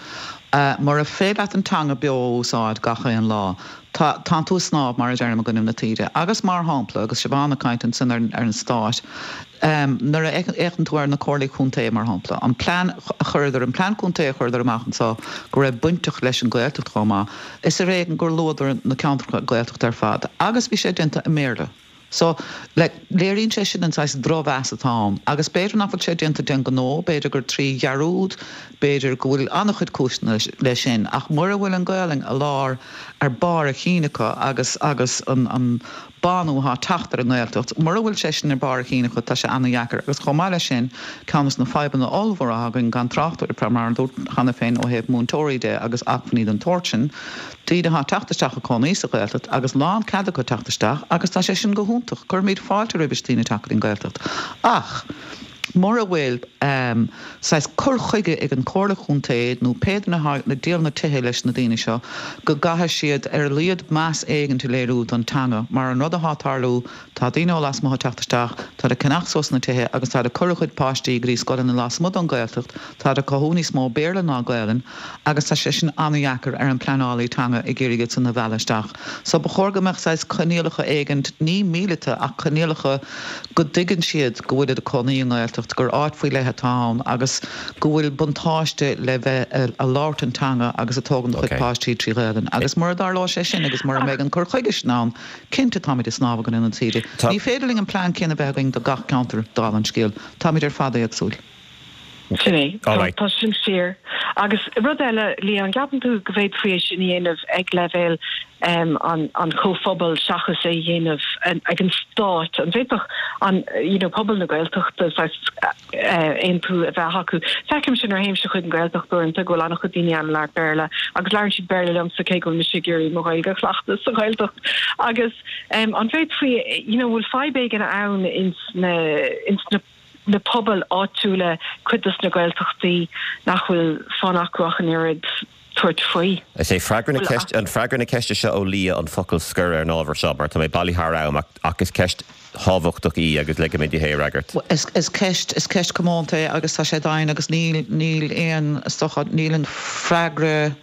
mura féidir leat an teanga beo a úsáid gach aon lá, tá, tánn tú ag snámh, mar a deirim, i gcoinnibh na taoide. Agus mar shampla, agus Siobhán ag caint ansan ar an Stát, nuair a fhéachann tú ar na comhairlí contae, mar shampla, an plean a chuireadar, an plean contae a chuireadar amach anso go raibh bainteach leis an Ghaeltacht chomh maith, Is ar éigean gur luadar na ceantracha Gaeltachta ar fad agus bhí sé déanta i mBéarla. So, like, léiríonn sé sin an saghas drochmheas atá ann. Agus b'fhéidir nach bhfuil sé déanta d'aon ghnó, b'fhéidir gur trí dhearúd, b'fhéidir go bhfuil an-chuid cúiseanna leis sin, ach mura bhfuil an Ghaelainn i lár, ar barr a chinn acu agus, agus an, an bánú atá ag teacht ar an nGaeltacht, mura bhfuil sé sin ar barr a chinn acu, tá sé an-dheacair. Agus chomh maith leis sin, ceann de na fadhbanna ollmhóra atá againn, gan trácht ar, mar a dúirt cheana féin, ó thaobh múinteoirí de agus acmhainní den tsórt sin, daoine atá ag teacht isteach ag cónaí sa Ghaeltacht agus lán cead acu teacht isteach agus tá sé sin go hiontach, cuirimid fáilte roimhis daoine teacht go dtí an Ghaeltacht. Ach mura bhfuil saghas cur chuige ag an Chomhairle Chontae nó pé duine atá ag díol na tithe leis na daoine seo go gcaithfidh siad ar a laghad meas éigint a léiriú don teanga mar an rud atá ag tarlú tá daoine ó lasmuigh ag teacht isteach, táid ag ceannach suas na tithe agus táid ag cur a gcuid páistí go dtí scoileanna lasmuigh don Ghaeltacht, táid ag cothú níos mó Béarla ná Gaelainn agus tá sé sin an-dheacair ar an pleanálaí teanga ag iarraidh iad san a mhealladh isteach. So ba chóir go mbeadh saghas coinníollacha éigint, ní míleata ach coinníollacha go dtuigeann siad go bhfuilid ag cónaí i nGaeltacht, gur áit faoi leith atá ann agus go bhfuil buntáiste le bheith a labhairt an teanga agus ag tógaint do chuid páistí trí Ghaelainn. Agus mura dtarlóidh sé sin agus mura mbeidh an cur chuige sin ann, cinnte táimid ag snámh i gcoinne na taoide. Ní féidir linn an plean céanna a bheith againn do gach ceantar, dála an scéil. Táimid ar fad éagsúil. Sin é. Tá sin fíor. Agus rud eile, Liadh, an gceapann tú go bhféadfaí é sin a dhéanamh ag leibhéal an chomhphobail seachas é a dhéanamh ag an stát? An bhféadfadh an, you know, pobal na Gaeltachta saghas aontú a bheith acu? Feicimse nuair a théimse chuig an Ghaeltacht uaireanta go bhfuil an-chuid daoine ann a labhairt Béarla agus labhrann siad Béarla liomsa cé go bhfuil mise ag iarraidh mo Ghaeilge a chleachtadh sa Ghaeltacht. Agus an bhféadfaí, you know, bhfuil fadhb éigin ann ins na, ins na, na pobail áitiúla, cuid dos na Gaeltachtaí nach bhfuil fonn acu ach an oiread tabhairt faoi. Is é freagra na ceiste, an freagra na ceiste seo ó Liadh an focal scoir ar an ábhar seo mar tá mé bailithe thar am ach ach is ceist thábhachtach í agus ligfidh mé di é a fhreagairt. Is is ceist is ceist comónta é agus tá sé domhain agus níl níl aon is dócha níl an freagra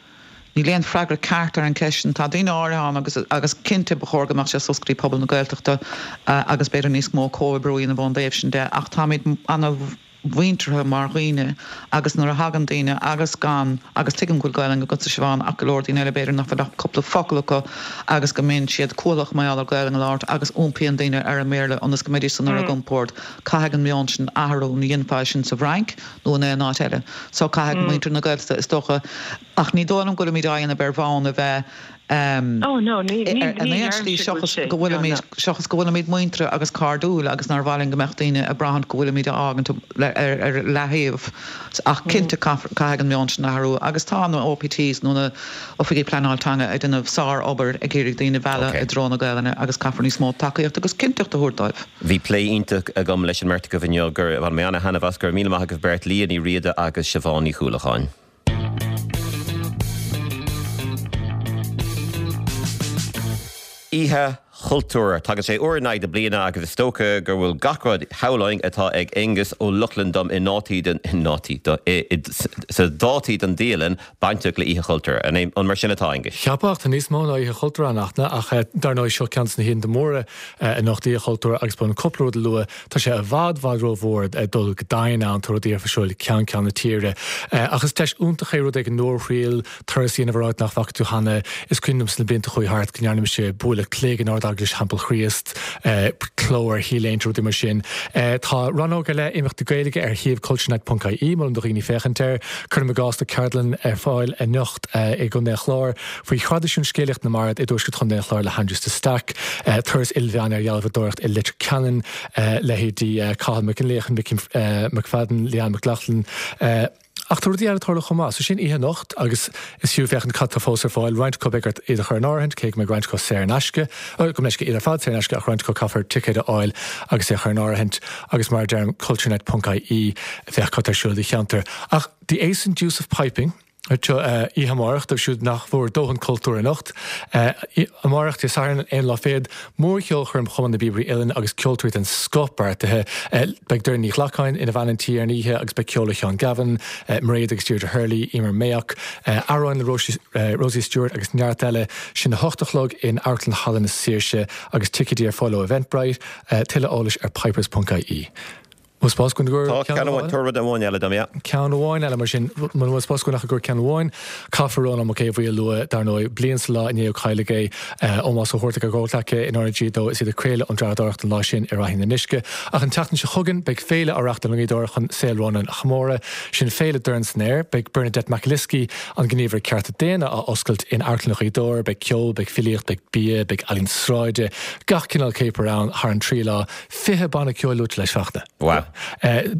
Níl aon freagra ceart ar an cheist sin. Tá daoine áirithe ann agus agus cinnte ba chóir go mbeadh sé suas go dtí pobal na Gaeltachta agus b'fhéidir níos mó comhoibriú a dhéanamh ón dtaobh sin de ach táimid ana. mhuinteartha mar dhaoine agus nuair a thagann daoine agus gan, agus tuigim go bhfuil Gaelainn agatsa Siobhán ach go leor daoine eile b'fhéidir nach bhfuil ach cúpla focal acu agus go mbíonn siad cúthaileach mar gheall ar Ghaelainn a labhairt agus iompaíonn daoine ar an mBéarla ionas go mbeidís san ar a gcompord. Caithfidh an meon sin athrú, ní dhéanfá é sin sa bhFrainc nó in aon áit eile. So caithfidh muintir na Gaeltachta is dócha, ach ní dóigh liom go bhfuilimid á dhéanamh ar bhonn a bheith Oh no, ní, ní, in ní aon slí deirimse go bhfuil seachas sé, go no, no. bhfuilimid, seachas go bhfuilimid muinteartha agus cairdiúil agus nár mhaith linn go mbeadh daoine ag braithint go bhfuilimid á fhágaint ar, ar leaththaobh. Ach cinnte caithfear, caithfidh an meon sin athrú agus tá na OPTs nó na Oifigigh Pleanáil Teanga ag déanamh sár-obair ag iarraidh daoine a mhealladh Ok. i dtreo na Gaelainne agus caithfear níos mó tacaíochta agus cinnteacht a thabhairt dóibh. Bhí plé iontach agam leis an mbeirt agaibh inniu, gur bhain mé ana-thaitneamh as. Go raibh míle maith agaibh beirt, Liadh Ní Riada agus Siobhán Ní Chuallacháin. Oíche Chultúir. Tagann sé uair in aghaidh na bliana agus is dócha go bhfuil gach rud, shamhlóinn, atá ag Aonghus Ó Lochlainn dom i ndátaí den, i ndátaí, do, i, i, sa dátaí don dialann bainteach le Oíche Chultúir. An é, an mar sin atá, Aonghus? Cheapfá, ach tá níos mó ná Oíche Chultúir ann, Fhachtna, ach dar ndóigh seo ceann de na hoícheanta móra anocht, Oíche Chultúir, agus ba cúpla rud a lua. Tá sé i bhfad, bhfad rómhór dul go domhain ann, tá rudaí ar siúl ceann ceann na tíre. Ach is deis iontach é rud éigin nua a thriail, turas a dhéanamh ar áit nach bhfaca tú cheana. Is cuimhin liom sna blianta a chuaigh thart go ndearna mise bualadh cloig in Ard-Eaglais Theampall Chríost, cló ar T-léinte, rudaí mar sin. Tá rannóg ar leith imeachtaí Gaeilge ar shuíomh culturenight.ie, molaim do dhaoine féachaint air. Cuirim i gcás tá ceardlann ar fáil anocht i gContae an Chláir faoi thraidisiún scéalaíocht na mbard i dtuaisceart Chontae an Chláir le hAindrias de Staic, turas ilmheán ar dhealbhadóireacht i Leitir Ceanainn, leithéidí Cathal Mac Fhionnlaoich, Mickey McFadden, Leanne McLaughlin. Ach tá rudaí eile ag tarlú chomh maith. So sin oíche anocht agus is fiú féachaint cad tá fós ar fáil. Roinnt acu beidh ort iad a chur in áirithint, cé go mbeidh roinnt acu saor in aisce, gabh mo leithscéal, iad ar fad saor in aisce ach roinnt acu caithfear ticéad a fháil agus é a chur in áirithint agus mar a deirim culturenet.ie féach cad tá ar siúl i do cheantar. Ach The Ace and Deuce of Piping, Seo oíche amárach dóibh siúd nach bhfuair dóthain cultúir anocht. Amárach, Dé Sathairn, an aon lá fichead, mórcheolchoirm Chumann na bPíobairí Uilleann agus ceoltóirí den scoth beartaithe. Beidh Doireann Ní Ghlacáin ina bhean an tí ar an oíche agus beidh ceol ó Sheán Gavin, Mairéad agus Deirdre Hurley, Emer Mayock, amhráin le Rosie Stewart agus neart eile. Sin a hocht a chlog in Amharclann Halla na Saoirse agus ticéidí ar fáil ó Eventbrite. Tuilleadh eolais ar pipers.ie. Bhfuil spás againn i gcomhair Tá, ceann ceann amháin, amháin? tabhair rud amháin eile dom, yeah. Ceann amháin eile mar sin, muna bhfuil spás againn ach i gcomhair ceann amháin, caithfear Rónán Mac Aodha Bhuí a lua, dar ndóigh, bliain sa lá inné ó cailleadh é, Ómós á thabhairt ag ár gcomhghleacaithe in RnaG dó is iad ag craoladh ón dreapadóireacht an lá sin i Ráithín na nUisce. Ach an tseachtain seo chugainn, beidh féile á reachtáil i nGaoth Dobhair chun saol Rónáin a chomóradh. Sin Féile Dorn san Aer. Beidh Bernadette McAliskey, an gníomhaire cearta daonna, á oscailt in Amharclann Ghaoth Dobhair. Beidh ceol, beidh filíocht, beidh bia, beidh ealaín sráide, gach cineál céapair ann thar an trí lá. 20 banna ceoil luaite leis, Fachtna. Wow.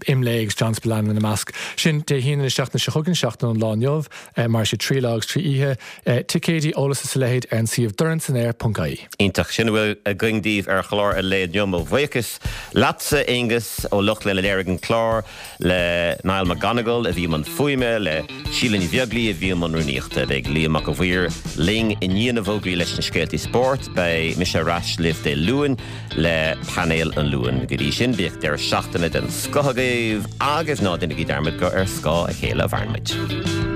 Imlé agus John Spillane ina measc. Sin Dé hAoine na seachtaine seo chugainn, seachtain ón lá inniu, mairfidh sé trí lá agus trí oíche. Ticéidí, eolas is a leithéid ar an suíomh dornsanaer.ie. Iontach. Sin a bhfuil againn daoibh ar chlár an lae inniu. Mo bhuíochas leatsa, Aonghus Ó Lochlainn a léirigh an clár, le Niall McGonigal a bhí i mbun fuaime, le Síle Ní Bheaglaoi a bhí i mbun rúnaíochta. Beidh Liam Mac a' Mhaoir linn i ndiaidh na bhfógraí leis na scéaltaí spóirt. Beidh mise ar ais libh Dé Luain le Painéal an Luain. Go dtí sin, bíodh deireadh seachtaine den scoth agaibh agus ná déanaigí dearmad gur ar scáth a chéile a mhaireann muid.